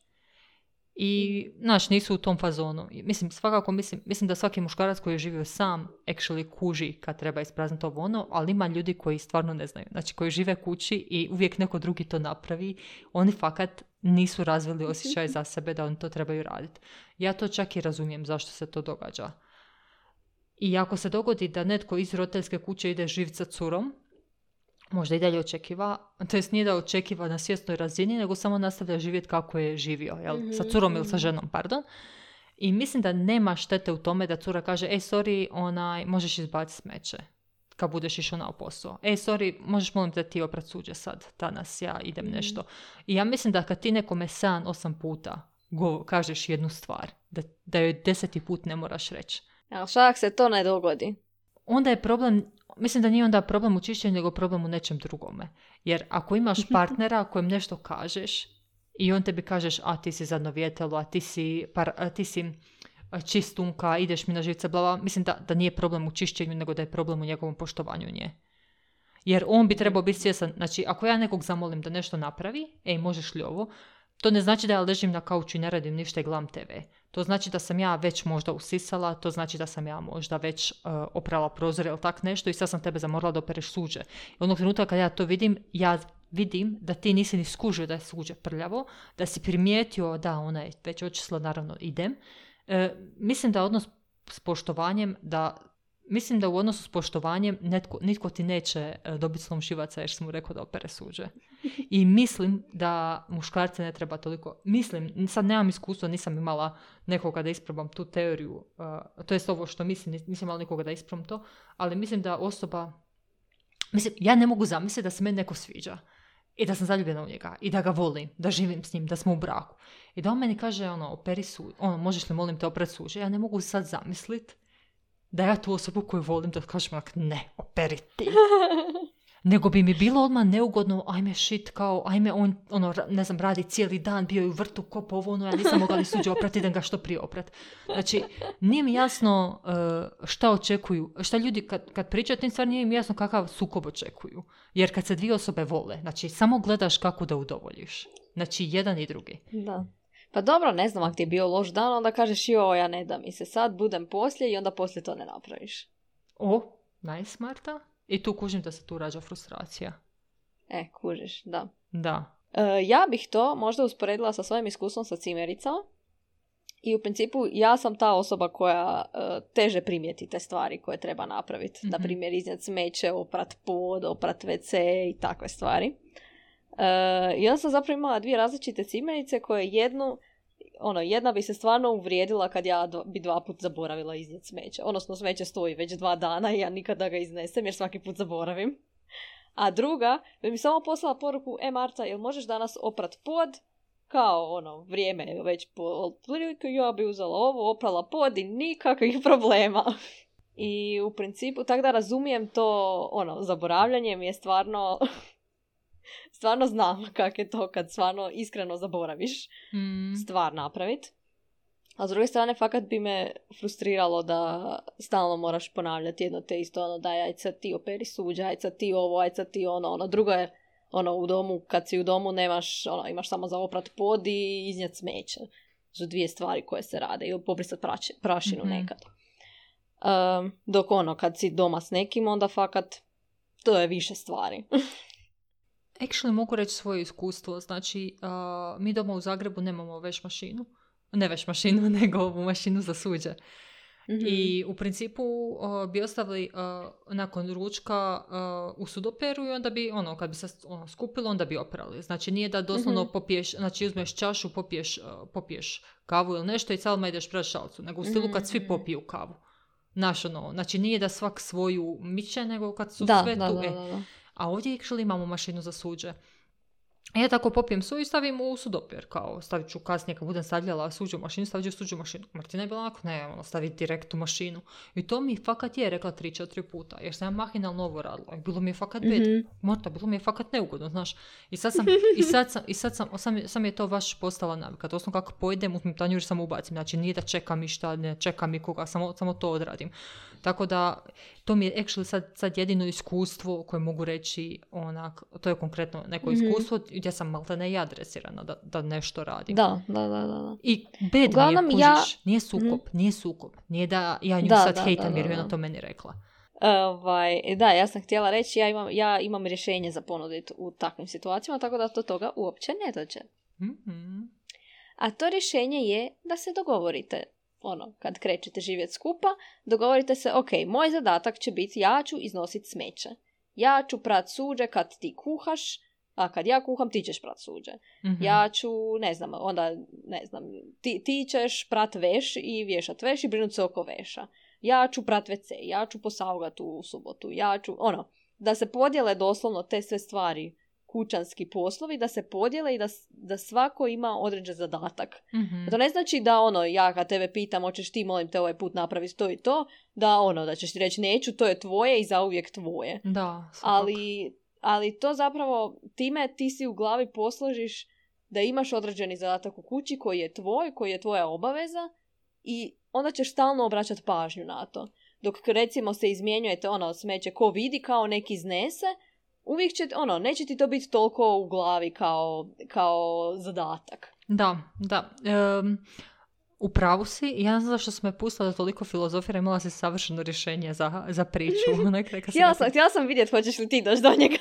I, znaš, nisu u tom fazonu. Mislim, svakako mislim, mislim da svaki muškarac koji je živio sam actually kuži kad treba isprazniti ovo ono, ali ima ljudi koji stvarno ne znaju. Znači, koji žive kući i uvijek neko drugi to napravi, oni fakat nisu razvili osjećaj za sebe da oni to trebaju raditi. Ja to čak i razumijem zašto se to događa. I ako se dogodi da netko iz roditeljske kuće ide živjeti sa curom, možda i dalje očekiva, to jest nije da očekiva na svjesnoj razini, nego samo nastavlja živjeti kako je živio, jel? Mm-hmm. Sa curom ili sa ženom, pardon. I mislim da nema štete u tome da cura kaže, ej, sorry, onaj, možeš izbaciti smeće kad budeš išao na posao. Ej, sorry, možeš molim da ti oprat suđe sad, danas ja idem mm-hmm. nešto. I ja mislim da kad ti nekome sedam, osam puta go, kažeš jednu stvar, da, da joj deseti put ne moraš reći. Ali šak se to ne dogodi. Onda je problem, mislim da nije onda problem u čišćenju, nego problem u nečem drugome. Jer ako imaš partnera kojem nešto kažeš i on tebi kažeš, a ti si zadnovjetelo, a ti si, par, a ti si čistunka, ideš mi na živce, blava, mislim da, da nije problem u čišćenju, nego da je problem u njegovom poštovanju nje. Jer on bi trebao biti svjesan, znači ako ja nekog zamolim da nešto napravi, ej, možeš li ovo, to ne znači da ja ležim na kauču i ne radim ništa i gledam te ve. To znači da sam ja već možda usisala, to znači da sam ja možda već uh, oprala prozore ili tak nešto i sad sam tebe zamorala da opereš suđe. I onog trenutka kad ja to vidim, ja vidim da ti nisi ni skužio da je suđe prljavo, da si primijetio da ona je već očisla, naravno idem. E, mislim da odnos s poštovanjem, da Mislim da u odnosu s poštovanjem netko, nitko ti neće dobiti slom živaca jer sam mu rekao da opere suđe. I mislim da muškarce ne treba toliko... Mislim, sad nemam iskustva, nisam imala nekoga da isprobam tu teoriju, uh, to jest ovo što mislim, nisam imala nikoga da isprobam to, ali mislim da osoba... Mislim, ja ne mogu zamisliti da se meni neko sviđa i da sam zaljubljena u njega i da ga volim, da živim s njim, da smo u braku. I da on meni kaže, ono, operi suđe, ono, možeš li molim te oprati suđe? Ja ne mogu sad zamisliti da ja tu osobu koju volim da kažem ne, operi ti. Nego bi mi bilo odmah neugodno, ajme shit, kao, ajme on, ono, ne znam, radi cijeli dan, bio je u vrtu, kopao ovo, ono, ja nisam mogla li suđe oprati, idem ga što prije oprat. Znači, nije mi jasno uh, šta očekuju, šta ljudi, kad, kad pričaju o tim stvari, nije mi jasno kakav sukob očekuju. Jer kad se dvije osobe vole, znači, samo gledaš kako da udovoljiš. Znači, jedan i drugi. Da. Pa dobro, ne znam, ako ti je bio loš dan, onda kažeš joj, ja ne dam i se sad, budem poslije i onda poslije to ne napraviš. O, nice, Marta. I tu kužim da se tu rađa frustracija. E, kužiš, da. Da. E, ja bih to možda usporedila sa svojim iskustvom sa cimericama i u principu ja sam ta osoba koja e, teže primijeti te stvari koje treba napraviti. Mm-hmm. Na primjer, iznijeti smeće, oprat pod, oprat ve ce i takve stvari. Uh, I onda sam zapravo imala dvije različite cimerice koje jednu, ono, jedna bi se stvarno uvrijedila kad ja do, bi dva put zaboravila iznijeti smeće. Odnosno, smeće stoji već dva dana i ja nikada ga iznesem jer svaki put zaboravim. A druga bi mi samo poslala poruku, e Marta, jel možeš danas oprat pod? Kao, ono, vrijeme je već po otprilike, ja bi uzela ovo, oprala pod i nikakvih problema. I u principu, tako da razumijem to, ono, zaboravljanje mi je stvarno... stvarno znam kak je to kad stvarno iskreno zaboraviš Mm. stvar napraviti. A s druge strane, fakat bi me frustriralo da stalno moraš ponavljati jedno te isto, ono, daj, ajde sad ti operi suđa, ajde sad ti ovo, ajde sad ti ono, ono, drugo je, ono, u domu, kad si u domu nemaš, ono, imaš samo za oprat pod i iznijeti smeće. Su dvije stvari koje se rade, ili pobrisati praši, prašinu Mm-hmm. nekad. Um, dok ono, kad si doma s nekim, onda fakat to je više stvari. Actually, mogu reći svoje iskustvo. Znači, uh, mi doma u Zagrebu nemamo veš mašinu. Ne veš mašinu, nego ovu mašinu za suđe. Mm-hmm. I u principu uh, bi ostavili uh, nakon ručka uh, u sudoperu i onda bi, ono, kad bi se ono, skupilo, onda bi oprali. Znači, nije da doslovno Mm-hmm. popiješ, znači uzmeš čašu, popiješ, uh, popiješ kavu ili nešto i calma ideš pred šalcu. Nego u stilu kad svi popiju kavu. Znaš, ono, znači nije da svak svoju miče, nego kad su da, sve da, tu. da, E. da, da. A ovdje actually imamo mašinu za suđe. Ja tako popijem su i stavim u sudoper, kao stavit ću kasnije kad budem stavljala suđu mašinu, stavit ću suđu mašinu. Martina je bila onako, ne, ono, staviti direkt u mašinu. I to mi fakat je rekla tri, četiri puta, jer sam ja mahinalno ovo radila. I bilo mi je fakat bed. Mm-hmm. Morta, bilo mi je fakat neugodno, znaš. I sad sam, i sad sam, i sad sam, sam, sam je to baš postala navika. To kako pojedem, uzmem tanjur i samo ubacim. Znači, nije da čekam i šta, ne čekam i koga, samo, samo to odradim. Tako da, to mi je actually sad, sad jedino iskustvo koje mogu reći, onak, to je konkretno neko Mm-hmm. iskustvo gdje sam malta ne ja adresirana da, da nešto radim. Da, da, da, da. I bed Uglavnom, mi je, ja- kužiš, nije sukob, Mhm. nije sukob. Nije da ja nju Da, sad da, hejtam da, jer da, je ona da. to meni rekla. Ovaj, da, ja sam htjela reći, ja imam, ja imam rješenje za ponuditi u takvim situacijama, tako da do toga uopće ne dođe. Mhm. A to rješenje je da se dogovorite. Ono, kad krećete živjeti skupa, dogovorite se, ok, moj zadatak će biti ja ću iznositi smeće. Ja ću prat suđe kad ti kuhaš, a kad ja kuham ti ćeš prat suđe. Mhm. Ja ću, ne znam, onda, ne znam, ti, ti ćeš prat veš i vješat veš i brinut se oko veša. Ja ću prat ve ce, ja ću posaugat u subotu, ja ću, ono, da se podijele doslovno te sve stvari, kućanski poslovi, da se podijele i da, da svako ima određen zadatak. Mhm. To ne znači da, ono, ja kad tebe pitam, hoćeš ti, molim te, ovaj put napraviti to i to, da, ono, da ćeš ti reći neću, to je tvoje i zauvijek tvoje. Da, svakako. Ali, ali to zapravo, time ti si u glavi posložiš da imaš određeni zadatak u kući koji je tvoj, koji je tvoja obaveza i onda ćeš stalno obraćati pažnju na to. Dok recimo se izmjenjujete, ono, smeće ko vidi kao neki iznese, uvijek će, ono, neće ti to biti toliko u glavi kao, kao zadatak. Da, da. Um, u pravu si. Ja ne znam zašto sam me pustila da toliko filozofira, imala si savršeno rješenje za, za priču. Htjela sam, htjela sam vidjeti hoćeš li ti doći do njega.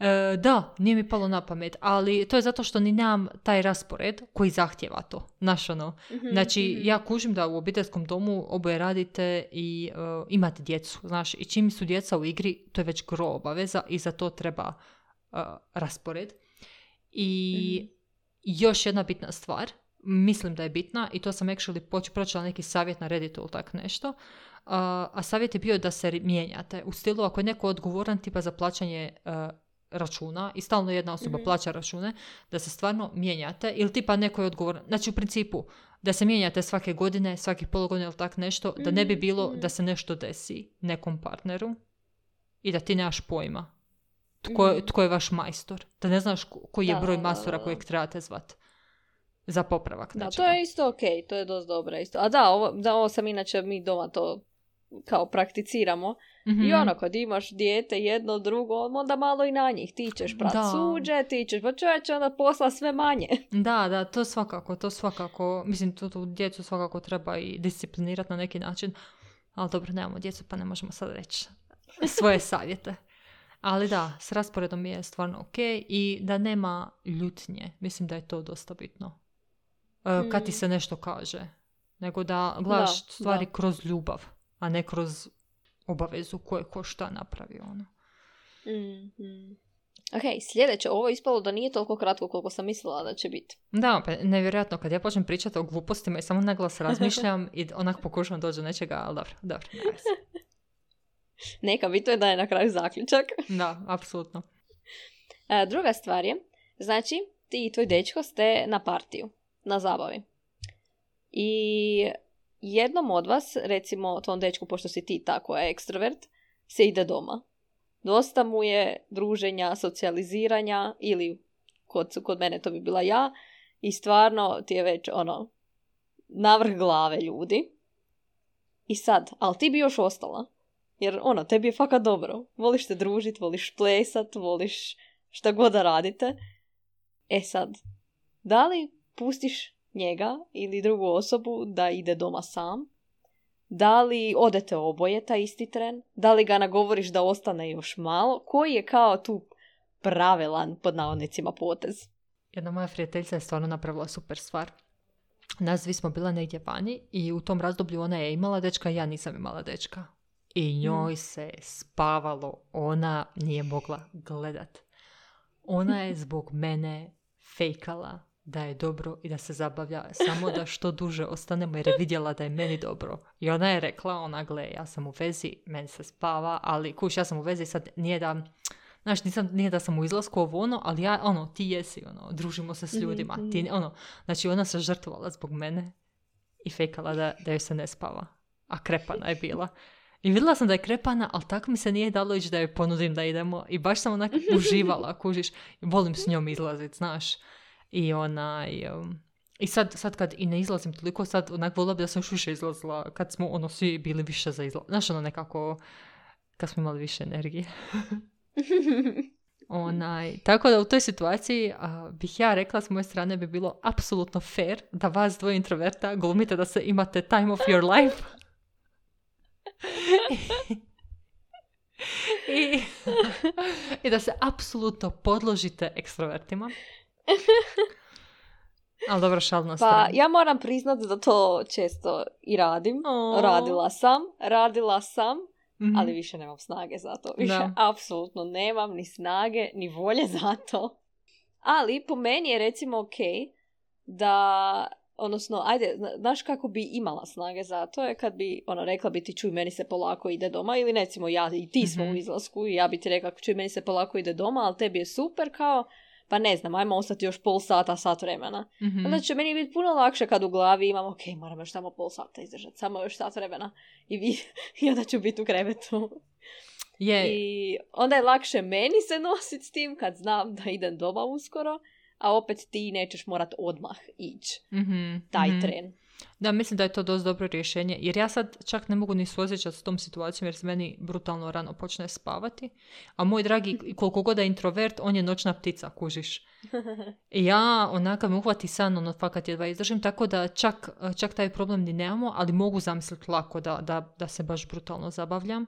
E, da, nije mi palo na pamet, ali to je zato što ni nemam taj raspored koji zahtjeva to. Znaš, ono. Mm-hmm, Znači, mm-hmm. ja kužim da u obiteljskom domu oboje radite i uh, imate djecu, znaš, i čim su djeca u igri, to je već gro obaveza i za to treba uh, raspored. I Mm-hmm. još jedna bitna stvar, mislim da je bitna, i to sam actually poč- pročela neki savjet na Redditu ili tak nešto, uh, a savjet je bio da se mijenjate. U stilu, ako je neko odgovoran tipa za plaćanje uh, računa i stalno jedna osoba Mhm. plaća račune, da se stvarno mijenjate ili tipa neko je odgovoran. Znači u principu da se mijenjate svake godine, svakih pol godine ili tak nešto, da ne bi bilo Mhm. da se nešto desi nekom partneru i da ti nemaš pojma tko, Mhm. tko je vaš majstor. Da ne znaš ko- koji je Da, broj da, majstora da, da. kojeg trebate zvat za popravak Da, nečega. to je isto ok, to je dosta dobro isto. A da, ovo, da, ovo sam inače mi doma to kao prakticiramo. Mhm. I ono, kad imaš dijete jedno, drugo, onda malo i na njih. Ti ćeš prat Da. suđe, ti ćeš, pa čovječe, onda posla sve manje. Da, da, to svakako, to svakako, mislim, tu, tu djecu svakako treba i disciplinirati na neki način, ali dobro, nemamo djecu, pa ne možemo sad reći svoje savjete. Ali da, s rasporedom je stvarno ok i da nema ljutnje, mislim da je to dosta bitno. E, kad ti Mm. se nešto kaže, nego da gledaš Da, stvari da. kroz ljubav, a ne kroz obavezu koje ko šta napravi, ono. Mm, mm. Ok, sljedeće, ovo je ispalo da nije toliko kratko koliko sam mislila da će biti. Da, pa nevjerojatno, kad ja počnem pričati o glupostima i samo na glas razmišljam i onak pokušavam doći do nečega, ali dobro, dobro, nema veze. Neka, bitno je da je na kraju zaključak. Da, apsolutno. E, druga stvar je, znači, ti i tvoj dečko ste na partiju, na zabavi. I jednom od vas, recimo tvom dečku, pošto si ti tako ekstrovert, se ide doma. Dosta mu je druženja, socijaliziranja ili kod, kod mene to bi bila ja i stvarno ti je već ono navrh glave ljudi. I sad, ali ti bi još ostala. Jer ono, tebi je fakat dobro. Voliš se družit, voliš plesat, voliš šta god da radite. E sad, da li pustiš njega ili drugu osobu da ide doma sam? Da li odete oboje taj isti tren? Da li ga nagovoriš da ostane još malo? Koji je kao tu pravilan, pod navodnicima, potez? Jedna moja prijateljica je stvarno napravila super stvar. Nas dvi smo bila negdje vani i u tom razdoblju ona je imala dečka, ja nisam imala dečka. I njoj se spavalo, ona nije mogla gledat. Ona je zbog mene fejkala da je dobro i da se zabavlja, samo da što duže ostanemo jer je vidjela da je meni dobro. I ona je rekla, ona gle, ja sam u vezi, meni se spava, ali kuš, ja sam u vezi, sad nije da, znaš, nisam, nije da sam u izlasku ovo ono, ali ja, ono, ti jesi, ono, družimo se s ljudima, ti, ono, znači ona se žrtvovala zbog mene i fejkala da, da joj se ne spava, a krepana je bila. I vidjela sam da je krepana, ali tako mi se nije dalo ići da joj ponudim da idemo. I baš sam onak uživala, kužiš. Volim s njom izlaziti, znaš. I ona... I, um, i sad, sad kad i ne izlazim toliko, sad onak volila bi da sam još više izlazila. Kad smo ono svi bili više za izlaz. Znaš, ono nekako... Kad smo imali više energije. Onaj, tako da u toj situaciji a, bih ja rekla s moje strane bi bilo apsolutno fair da vas dvoje introverta glumite da se imate time of your life. I, i da se apsolutno podložite ekstrovertima. Ali dobro, šal na stranu. Pa ja moram priznati da to često i radim. Oh. Radila sam, radila sam, mm-hmm. ali više nemam snage za to. Više da. Apsolutno nemam ni snage, ni volje za to. Ali po meni je recimo ok da... Odnosno, ajde, znaš kako bi imala snage za to je kad bi, ono, rekla bi ti čuj, meni se polako ide doma, ili recimo ja i ti smo mm-hmm. u izlasku i ja bi ti rekla čuj, meni se polako ide doma, ali tebi je super kao, pa ne znam, ajmo ostati još pol sata, sat vremena. Mm-hmm. Onda će meni biti puno lakše kad u glavi imam, ok, moram još samo pol sata izdržati, samo još sat vremena i, vi, i onda ću biti u krevetu. Yeah. I onda je lakše meni se nositi s tim kad znam da idem doma uskoro, a opet ti nećeš morat odmah ići mm-hmm, taj mm-hmm. tren. Da, mislim da je to dosta dobro rješenje, jer ja sad čak ne mogu ni suosjećati s tom situacijom, jer se meni brutalno rano počne spavati, a moj dragi, koliko god je introvert, on je noćna ptica, kužiš. I ja onaka me uhvati san, ono fakat jedva izdržim, tako da čak, čak taj problem ni nemamo, ali mogu zamisliti lako da, da, da se baš brutalno zabavljam.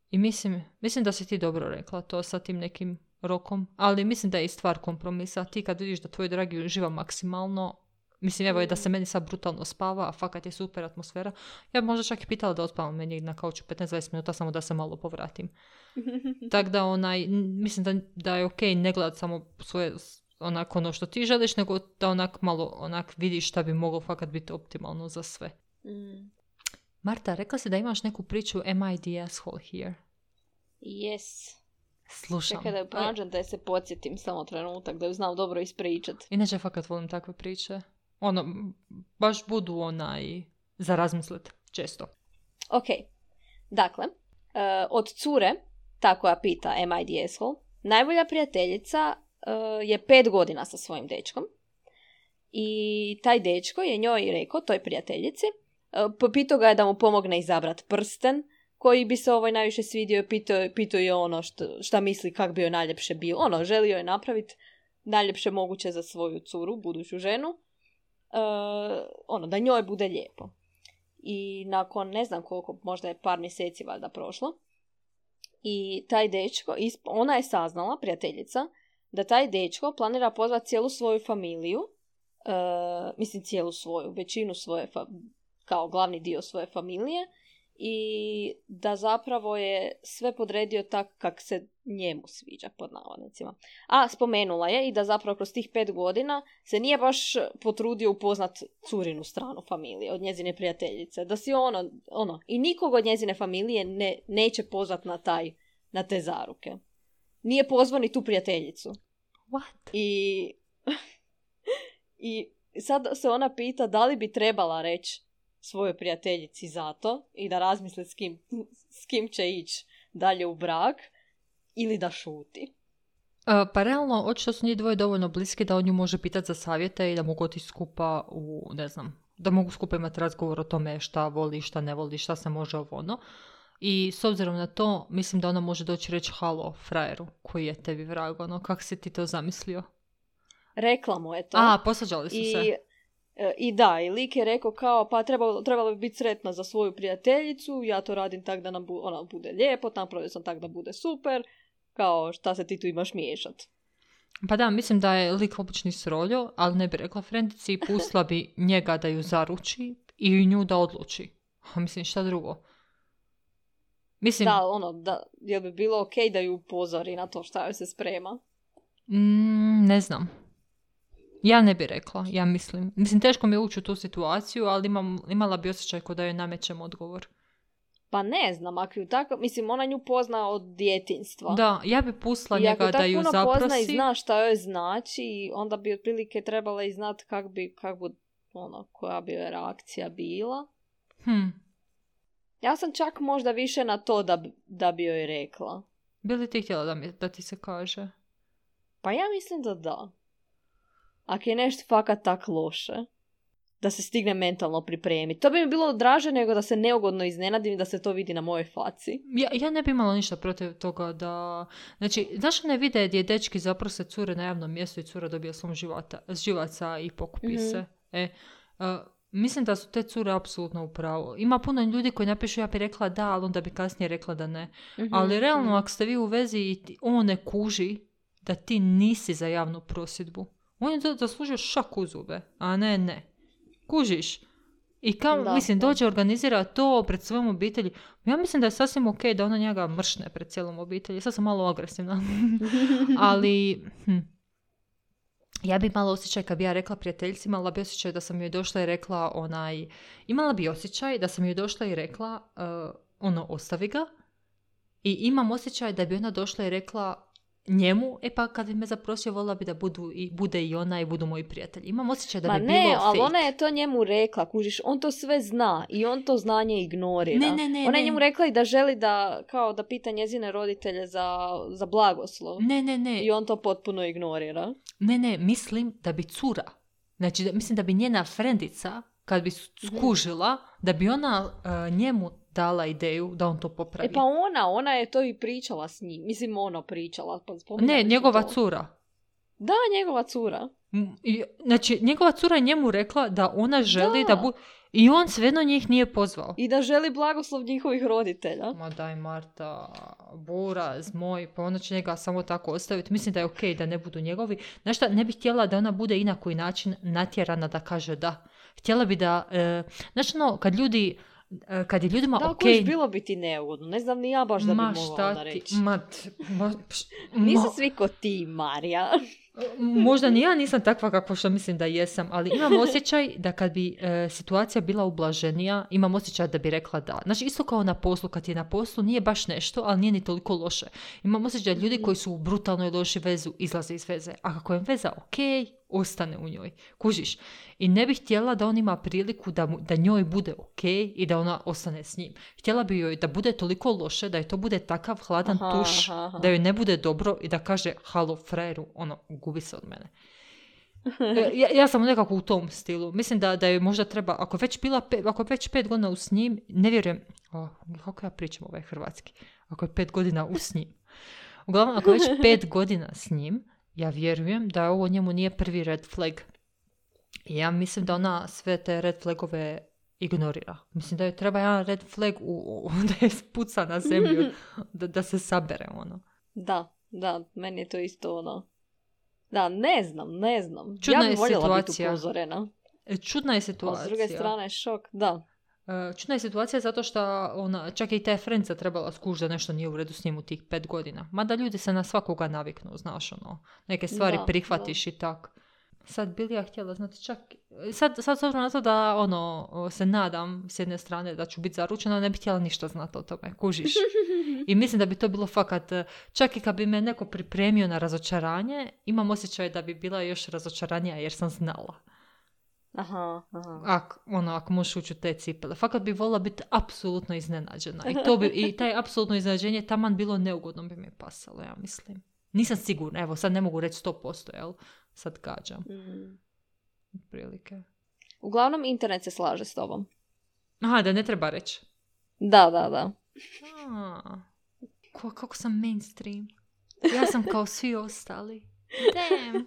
I mislim, mislim da si ti dobro rekla to sa tim nekim rokom, ali mislim da je i stvar kompromisa. Ti kad vidiš da tvoj dragi uživa maksimalno, mislim evo je da se meni sad brutalno spava, a fakat je super atmosfera, ja bi možda čak i pitala da odspavam meni na kauču petnaest do dvadeset minuta samo da se malo povratim. Tako da onaj, mislim da, da je ok ne gledat samo svoje onak ono što ti želiš, nego da onak malo onak vidiš šta bi moglo fakat biti optimalno za sve. Mm. Marta, rekla si da imaš neku priču Am I the asshole here? Yes. Slušam. Čekaj da ju pronađem da je se podsjetim samo trenutak, da ju znam dobro ispričat. Inače, fakat volim takve priče. Ono, baš budu onaj za razmislet često. Ok. Dakle, uh, od cure, ta koja pita Am I the asshole, najbolja prijateljica uh, je pet godina sa svojim dečkom. I taj dečko je njoj rekao, toj prijateljici, uh, popitao ga je da mu pomogne izabrat prsten, koji bi se ovoj najviše svidio, pitao, pitao je ono što, šta misli kak bi joj najljepše bilo. Ono, želio je napraviti najljepše moguće za svoju curu, buduću ženu. Uh, ono, da njoj bude lijepo. I nakon, ne znam koliko, možda je par mjeseci valjda prošlo. I taj dečko, ona je saznala, prijateljica, da taj dečko planira pozvati cijelu svoju familiju, uh, mislim cijelu svoju, većinu svoje, fa- kao glavni dio svoje familije, i da zapravo je sve podredio tako kak se njemu sviđa, pod navodnicima. A spomenula je i da zapravo kroz tih pet godina se nije baš potrudio upoznat curinu stranu familije od njezine prijateljice. Da si ono, ono i nikog od njezine familije ne, neće pozvat na taj, na te zaruke. Nije pozvao ni tu prijateljicu. What? I, i sad se ona pita da li bi trebala reći svojoj prijateljici za to i da razmisle s kim, s kim će ići dalje u brak, ili da šuti. Uh, pa realno, očito su njih dvoje dovoljno bliski da on nju može pitati za savjete i da mogu otići skupa u, ne znam, da mogu skupa imati razgovor o tome šta voli, šta ne voli, šta se može ovo ono. I s obzirom na to, mislim da ona može doći reći halo frajeru koji je tebi vrag, ono, kako si ti to zamislio? Rekla mu je to. A, posvađali su I, se. I da, i lik je rekao kao, pa trebalo, trebalo bi biti sretna za svoju prijateljicu, ja to radim tak da nam bu, ona bude lijepo, napravio sam tak da bude super, kao šta se ti tu imaš miješat. Pa da, mislim da je lik obični sroljo, ali ne bi rekla frendici i pustila bi njega da ju zaruči i nju da odluči. A mislim, šta drugo? Mislim... Da, ono, da, jel bi bilo okej okay da ju upozori na to šta joj se sprema? Mm, ne znam. Ja ne bi rekla, ja mislim. Mislim, teško mi je ući u tu situaciju, ali imam, imala bi osjećaj kao da joj namećem odgovor. Pa ne znam, ako ju tako, mislim, ona nju pozna od djetinjstva. Da, ja bi pustila njega da ju zaprosi. I ako tako puno pozna i zna šta joj znači, onda bi otprilike trebala i znati kak bi, kak bi, ono, koja bi reakcija bila. Hmm. Ja sam čak možda više na to da, da bi joj rekla. Bi li ti htjela da, mi, da ti se kaže? Pa ja mislim da da. Ako je nešto fakat tak loše, da se stigne mentalno pripremiti. To bi mi bilo draže nego da se neugodno iznenadim i da se to vidi na mojoj faci. Ja, ja ne bi imala ništa protiv toga da... Znači, znaš ne vide gdje dečki zaprose cure na javnom mjestu i cura dobija slom života, živaca i pokupi mm-hmm. se. E, uh, mislim da su te cure apsolutno u pravu. Ima puno ljudi koji napišu ja bi rekla da, ali onda bi kasnije rekla da ne. Mm-hmm. Ali realno, mm-hmm. ako ste vi u vezi i ti, on ne kuži da ti nisi za javnu prosvjedbu, on je zaslužio šak u zube, a ne ne. Kužiš. I kao, da, mislim, dođe organizira to pred svojom obitelji. Ja mislim da je sasvim ok da ona njega mršne pred cijelom obitelji. Sad sam malo agresivna. Ali, hm, ja bi imala osjećaj, kad bi ja rekla prijateljici, imala bi osjećaj da sam joj došla i rekla onaj... Imala bi osjećaj da sam joj došla i rekla uh, ono, ostavi ga. I imam osjećaj da bi ona došla i rekla njemu, e pa kad bi me zaprosio, volila bi da budu i, bude i ona i budu moji prijatelji. Imam osjećaj da Ma bi ne, bilo fake. ali ona je to njemu rekla, kužiš, on to sve zna i on to znanje ignorira. Ne, ne, ne, ona je ne. njemu rekla i da želi da, kao da pita njezine roditelje za, za blagoslov. Ne, ne, ne. I on to potpuno ignorira. Ne, ne, mislim da bi cura, znači da, mislim da bi njena frendica, kad bi skužila, da bi ona uh, njemu dala ideju da on to popravi. E pa ona, ona je to i pričala s njim. Mislim, ono pričala. Pa ne, njegova cura. Da, njegova cura. I, znači, njegova cura je njemu rekla da ona želi da, da bu... I on svejedno njih nije pozvao. I da želi blagoslov njihovih roditelja. Ma daj Marta, buraz moj, pa ona će njega samo tako ostaviti. Mislim da je okej okay da ne budu njegovi. Znaš šta, ne bih htjela da ona bude i na koji način natjerana da kaže da. Htjela bi da... E, znači, no, kad ljudi... Kad je ljudima da, okej... Da, bilo bi ti neugodno. Ne znam ni ja baš da bi mogla onda reći. Ma, ma, pš, Nisu ma. svi ko ti, Marija. Možda ni ja nisam takva kako što mislim da jesam, ali imam osjećaj da kad bi e, situacija bila ublaženija, imam osjećaj da bi rekla da. Znači, isto kao na poslu, kad je na poslu, nije baš nešto, ali nije ni toliko loše. Imam osjećaj da ljudi koji su u brutalnoj loši vezu izlaze iz veze. A kako je veza okej, ostane u njoj. Kužiš. I ne bih htjela da on ima priliku da, mu, da njoj bude okej i da ona ostane s njim. Htjela bi joj da bude toliko loše, da je to bude takav hladan aha, tuš, aha, aha. da joj ne bude dobro i da kaže halo frajeru, ono, gubi se od mene. Ja, ja sam nekako u tom stilu. Mislim da, da je možda treba, ako već bila pe, ako je već pet godina u s njim, ne vjerujem, oh, kako ja pričam ovaj hrvatski, ako je pet godina u s njim. Uglavnom, ako je već pet godina s njim, ja vjerujem da ovo njemu nije prvi red flag. I ja mislim da ona sve te red flagove ignorira. Mislim da joj treba jedan red flag u, u, da je spuca na zemlju, da, da se sabere ono. Da, da, meni je to isto ono. Da, ne znam, ne znam. Čudna ja je bi voljela situacija. biti upozorena. Čudna je situacija. A s druge strane šok, da. Čudna je situacija zato što ona, čak i ta friendsa trebala skužiti da nešto nije u redu s njim u tih pet godina. Mada ljudi se na svakoga naviknu, znaš, ono, neke stvari da, prihvatiš da. I tak. Sad bili ja htjela, znate, čak, sad, sad s obzirom na to da, ono, se nadam s jedne strane da ću biti zaručena, ne bih htjela ništa znati o tome, kužiš. I mislim da bi to bilo fakat, čak i kad bi me neko pripremio na razočaranje, imam osjećaj da bi bila još razočaranija jer sam znala. Aha, aha. Ak, ono, ako možeš ući u te cipele. Fakat bi volila biti apsolutno iznenađena. I, to bi, i taj apsolutno iznenađenje taman bilo neugodno bi mi pasalo, ja mislim. Nisam sigurna, evo, sad ne mogu reći sto posto, jel? Sad gađam. Mm. Prilike. Uglavnom, internet se slaže s tobom. Aha, da ne treba reći. Da, da, da. A, ko, kako sam mainstream. Ja sam kao svi ostali. Damn.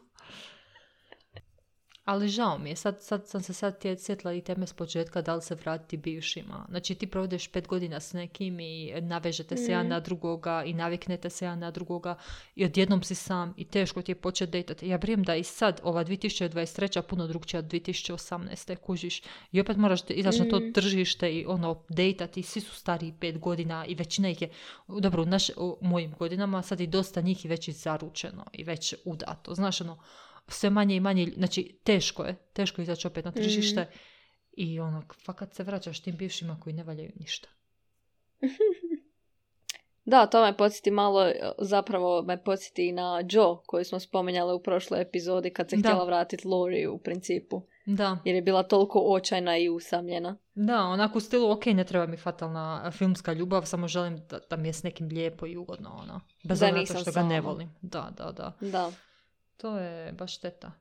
Ali žao mi je, sad, sad sam se sad sjetila i teme s početka da li se vratiti bivšima. Znači ti provedeš pet godina s nekim i navežete se mm. jedan na drugoga i naviknete se jedan na drugoga i odjednom si sam i teško ti je početi dejtati. Ja vjerujem da i sad ova dvije tisuće dvadeset treća puno drugčija od dvije tisuće osamnaeste kužiš i opet moraš izaći mm. na to tržište i ono dejtati, svi su stariji pet godina i većina ih je, dobro u, naš, u mojim godinama sad i dosta njih je već i zaručeno i već udato. Znaš ono, sve manje i manje, znači teško je, teško je izaći opet na tržište mm. i ono, fakat se vraćaš tim bivšima koji ne valjaju ništa. Da, to me podsjeti malo, zapravo me podsjeti na Joe, koju smo spomenjali u prošloj epizodi kad se da. htjela vratiti Lori u principu. Da. Jer je bila toliko očajna i usamljena. Da, onako u stilu, ok, ne treba mi fatalna filmska ljubav, samo želim da, da mi je s nekim lijepo i ugodno, ono. Bez obzira što ga ne volim. Da, da, da. Da. To je baš šteta.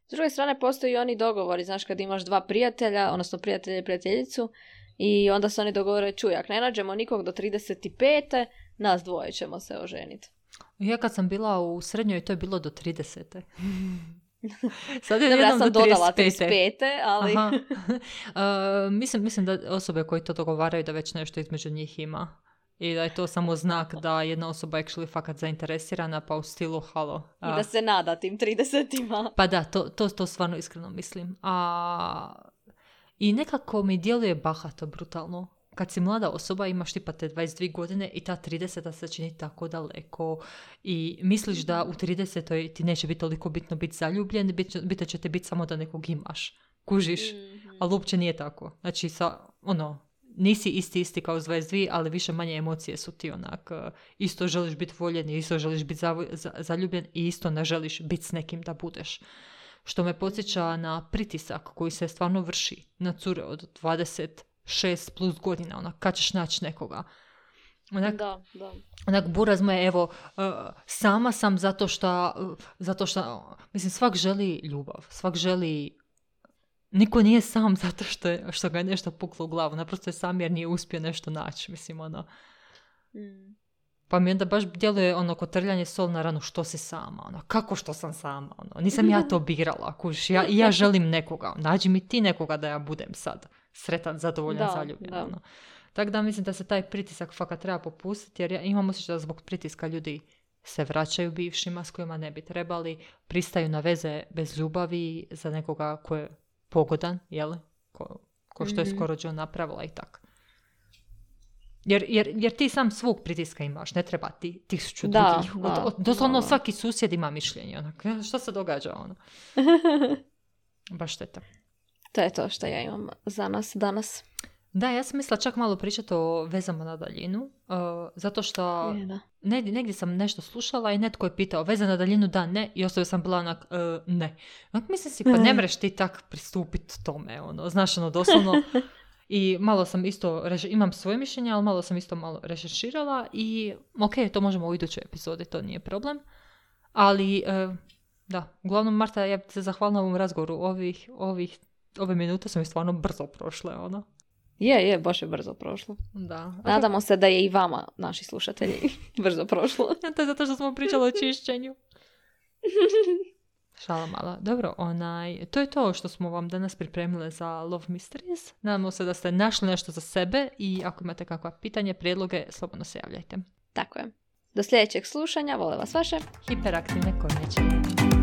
S druge strane, postoji i oni dogovori, znaš, kad imaš dva prijatelja, odnosno prijatelja i prijateljicu, i onda se oni dogovore, čuj, ako ne nađemo nikog do trideset pete, nas dvoje ćemo se oženiti. Ja kad sam bila u srednjoj, to je bilo do tridesete. Sad je Dobro, ja sam do dodala trideset pete, ali... uh, mislim, mislim da osobe koji to dogovaraju da već nešto između njih ima. I da je to samo znak da jedna osoba actually fakat zainteresirana, pa u stilu halo. I da se nada tim tridesetima. Pa da, to, to, to stvarno iskreno mislim. A, i nekako mi djeluje bahato, brutalno. Kad si mlada osoba, imaš tipa te dvadeset dvije godine i ta trideseta se čini tako daleko i misliš da u tridesetoj ti neće biti toliko bitno biti zaljubljen, bit, bit će te biti samo da nekog imaš. Kužiš, mm-hmm. ali uopće nije tako. Znači, sa, ono, nisi isti isti kao s dvadeset dvije, ali više manje emocije su ti onak. Isto želiš biti voljen, isto želiš biti zaljubljen i isto ne želiš biti s nekim da budeš. Što me podsjeća na pritisak koji se stvarno vrši na cure od dvadeset šest plus godina, onak, kad ćeš naći nekoga. Onak, da, da. Onak, buraz moje, evo, uh, sama sam zato što, uh, zato što, mislim, svak želi ljubav, svak želi. Niko nije sam zato što, je, što ga je nešto puklo u glavu. Naprosto je sam jer nije uspio nešto naći. Mislim, ono. Mm. Pa mi onda baš djeluje ono kotrljanje sol na ranu što si sama. Ono. Kako što sam sama? Ono. Nisam ja to birala. Kuš. Ja, ja želim nekoga. Nađi mi ti nekoga da ja budem sad sretan, zadovoljan, da, zaljubljen. Da. Ono. Tako da mislim da se taj pritisak fakat treba popustiti. Jer ja imam osjećaj da zbog pritiska ljudi se vraćaju bivšima s kojima ne bi trebali. Pristaju na veze bez ljubavi za nekoga ko je pogodan, jel? Ko, ko što je mm-hmm. skoro John napravila i tak. Jer, jer, jer ti sam svog pritiska imaš, ne treba ti tisuću da, drugih. Da, od, od, doslovno da. Svaki susjed ima mišljenje. Onak, što se događa? Ono? Baš šteta. To je to što ja imam za nas danas. Da, ja sam mislila čak malo pričati o vezama na daljinu, uh, zato što negdje, negdje sam nešto slušala i netko je pitao veza na daljinu da, ne, i ostavio sam bila onak, uh, ne. Onak, mislim si, pa ne mreš ti tak pristupiti tome, ono, znaš, ono, doslovno. I malo sam isto, imam svoje mišljenje, ali malo sam isto malo rešerširala i ok, to možemo u idućoj epizodi, to nije problem. Ali, uh, da, uglavnom, Marta, ja se zahvalila ovom razgovoru, ovih, ovih, ove minute su mi stvarno brzo prošle, ono. Je, je, baš je brzo prošlo. Da. Nadamo se da je i vama, naši slušatelji, brzo prošlo. Ja, to je zato što smo pričali o čišćenju. Šala mala. Dobro, onaj, to je to što smo vam danas pripremile za Love Mysteries. Nadamo se da ste našli nešto za sebe i ako imate kakva pitanje, prijedloge, slobodno se javljajte. Tako je. Do sljedećeg slušanja, vole vas vaše hiperaktivne kornjače.